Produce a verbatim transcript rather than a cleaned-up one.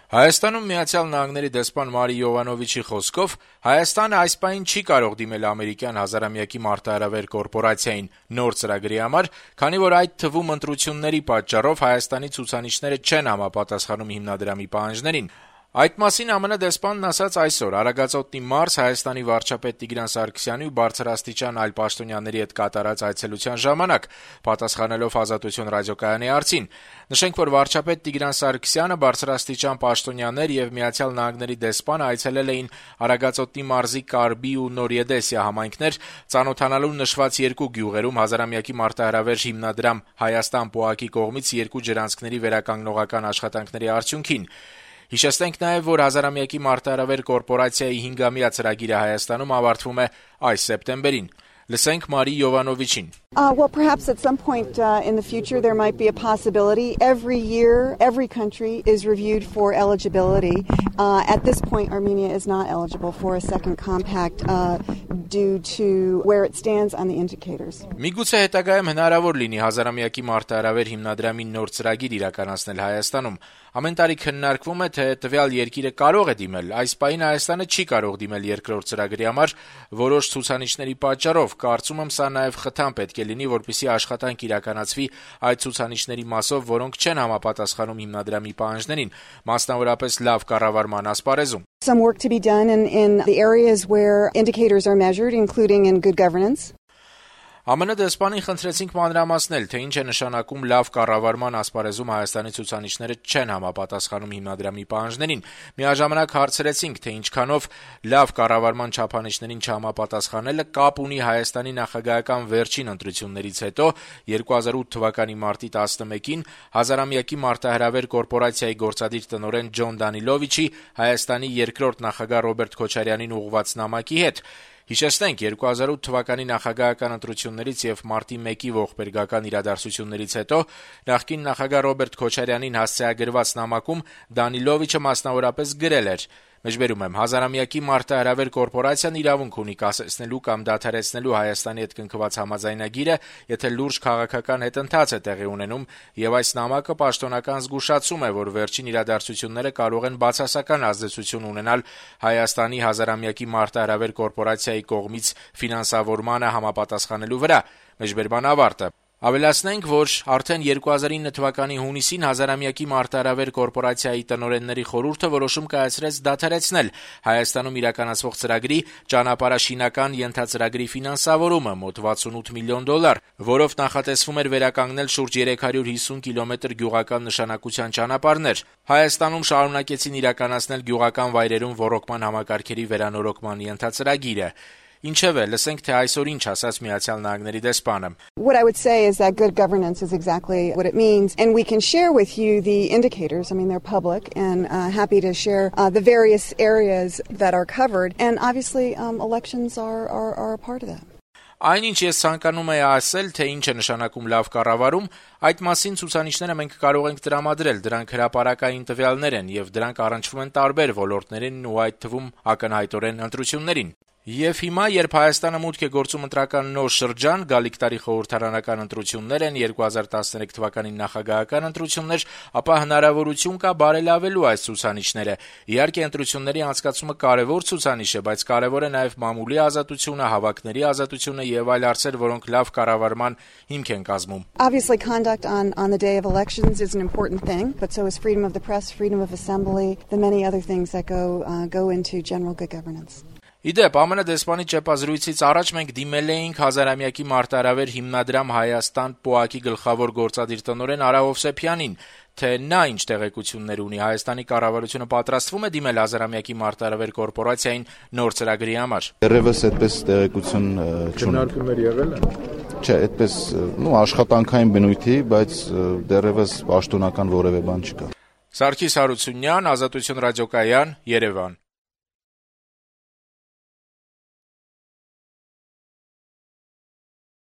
Հայաստանում Միացյալ Նահանգների դեսպան Մարի Յովանովիչի խոսքով Հայաստանը այս պահին չի կարող դիմել ամերիկյան հազարամյակի մարտահրավեր կորպորացիային նոր ծրագրի համար, քանի որ այդ թվում ընտրությունների պատճառով Հայաստանի ցուցանիշները չեն համապատասխանում հիմնադրամի պահանջներին։ Այդ մասին ԱՄՆ դեսպանն ասաց այսօր Արագածոտնի մարզ Հայաստանի վարչապետ Տիգրան Սարգսյանի ու բարձրաստիճան այլ պաշտոնյաների հետ կատարած այցելության ժամանակ, պատասխանելով Ազատություն ռադիոկայանի հարցին։ Նշենք, որ վարչապետ Տիգրան Սարգսյանը, բարձրաստիճան պաշտոնյաներ եւ Միացյալ Նահանգների դեսպանը այցելել էին Արագածոտնի մարզի Կարբի ու Նորիեդեսիա համայնքներ, ծանոթանալու նշված երկու գյուղերում հազարամյակի մարտահրավեր հիմնադրամ Հայաստան ՊՕԱԿ-ի կողմից երկու ջրանցքների վերականգնողական աշխատանքների արդյունքին։ Հիշեցնենք նաև, որ հազարամյակի մարտահրավեր կորպորացիայի հինգամյա ծրագիրը Հայաստանում ավարտվում է այս սեպտեմբերին։ Լսենք Մարի Յովանովիչին. Uh, well, perhaps at some point uh, in the future there might be a possibility. Every year, every country is reviewed for eligibility. Uh, at this point, Armenia is not eligible for a second compact uh, due to where it stands on the indicators. Միգուցե հետագայում հնարավոր լինի հազարամյակի մարտահրավեր հիմնադրամի նոր ծրագիր իրականացնել Հայաստանում։ Ամեն տարի քննարկվում է, թե տվյալ երկիրը կարող է դիմել։ Այս պահին Հայաստանը չի կարող դիմել երկրորդ ծրագրի համար որոշ ցուցանիշների պատճառով։ Կարծում եմ, սա նաև խթան պետք է լինի, որպեսզի աշխատանք իրականացվի այդ ցուցանիշների մասով, որոնք չեն համապատասխանում հիմնադրամի պահանջներին, մասնավորապես լավ կառավարման ասպարեզում։ Some work to be done in, in the areas where indicators are measured, including in good governance. ԱՄՆ դեսպանին խնդրեցինք մանրամասնել, թե ինչ է նշանակում լավ կառավարման ասպարեզում Հայաստանի ցուցանիշները չեն համապատասխանում հիմնադրամի պահանջներին։ Միաժամանակ հարցրեցինք, թե ինչքանով լավ կառավարման չափանիշներին չհամապատասխանելը կապ ունի Հայաստանի նախագահական վերջին ընտրություններից հետո երկու հազար ութ թվականի մարտի տասնմեկին հազարամյակի մարտահրավեր կորպորացիայի գործադիր տնօրեն Ջոն Դանիլովիչի Հայաստանի երկրորդ նախագահ Ռոբերտ Քոչարյանին ուղղված նամակի հետ։ Հիշեցնենք, երկու հազար ութ թվականի նախագահական ընտրություններից եւ մարտի մեկի ողբերգական իրադարձություններից հետո նախկին նախագահ Ռոբերտ Քոչարյանին հասցեագրված նամակում Դանիլովիչը մասնավորապես գրել էր. Մեջբերում եմ, հազարամյակի մարտահրավեր կորպորացիան իրավունք ունի կասեցնելու կամ դադարեցնելու Հայաստանի հետ կնքված համաձայնագիրը, եթե լուրջ քաղաքական հետընթաց է տեղի ունենում, եւ այս նամակը պաշտոնական զգուշացում է, որ վերջին իրադարձությունները կարող են բացասական ազդեցություն ունենալ Հայաստանի հազարամյակի մարտահրավեր կորպորացիայի կողմից ֆինանսավորմանը համապատասխանելու վրա։ Մեջբերման ավարտը։ Ավելացնենք, որ արդեն երկու հազար ինը թվականի հունիսին հազարամյակի մարտահրավեր կորպորացիայի տնօրենների խորհուրդը որոշում կայացրեց դադարեցնել Հայաստանում իրականացվող ծրագրի ճանապարհաշինական ենթածրագրի ֆինանսավորումը մոտ վաթսունութ միլիոն դոլար, որով նախատեսվում էր վերականգնել շուրջ երեք հարյուր հիսուն կիլոմետր գյուղական նշանակության ճանապարհներ։ Հայաստանում շարունակեցին իրականացնել գյուղական վայրերում ոռոգման համակարգերի վերանորոգման ենթածրագիրը։ Ինչևէ, լսենք, թե այսօր ինչ ասաց Միացյալ Նահանգների դեսպանը. What I would say is that good governance is exactly what it means, and we can share with you the indicators. I mean, they're public, and uh, happy to share uh, the various areas that are covered, and obviously um, elections are, are, are a part of that. Այնինչ ես ցանկանում եմ ասել, թե ինչ է նշանակում լավ կառավարում, այդ մասին ցուցանիշները մենք կարող ենք տրամադրել, դրանք հրապարակային տվյալներ են եւ դրանք առնչվում են տարբեր ոլորտներին ու այդ թվում ակնհայտորեն ընտրություններին։ Եվ հիմա, երբ Հայաստանը մուտք է գործում ընտրական նոր շրջան, գալիք տարի խորհրդարանական ընտրություններ են, երկու հազար տասներեք թվականի նախագահական ընտրություններ, ապա հնարավորություն կա բարելավելու այս ցուցանիշները։ Իհարկե, ընտրությունների անցկացումը կարևոր ցուցանիշ է, բայց կարևոր է նաև մամուլի ազատությունը, հավաքների ազատությունը եւ այլ հարցեր, որոնք լավ կառավարման հիմք են կազմում։ Obviously, conduct on on the day of elections is an important thing, but so is freedom of the press, freedom of assembly, the many other things that go uh, go into general good governance. Իդեպ, ԱՄՆ դեսպանի ճեպազրույցից առաջ մենք դիմել էինք հազարամյակի մարտահրավեր հիմնադրամ Հայաստան ՊՕԱԿ-ի գլխավոր գործադիր տնօրեն Արա Հովսեփյանին, թե նա ինչ տեղեկություններ ունի, Հայաստանի կառավարությունը պատրաստվում է դիմել հազարամյակի մարտահրավեր կորպորացիային նոր ծրագրի համար։ Դեռևս այդպես տեղեկություն չունենք։ Քննարկումներ եղել են։ Չէ, այդպես, նո, աշխատանքային բնույթի, բայց դեռևս պաշտոնական որևէ բան չկա։ Սարգիս Հարությունյան, Ազատություն ռադիոկայան, Երևան։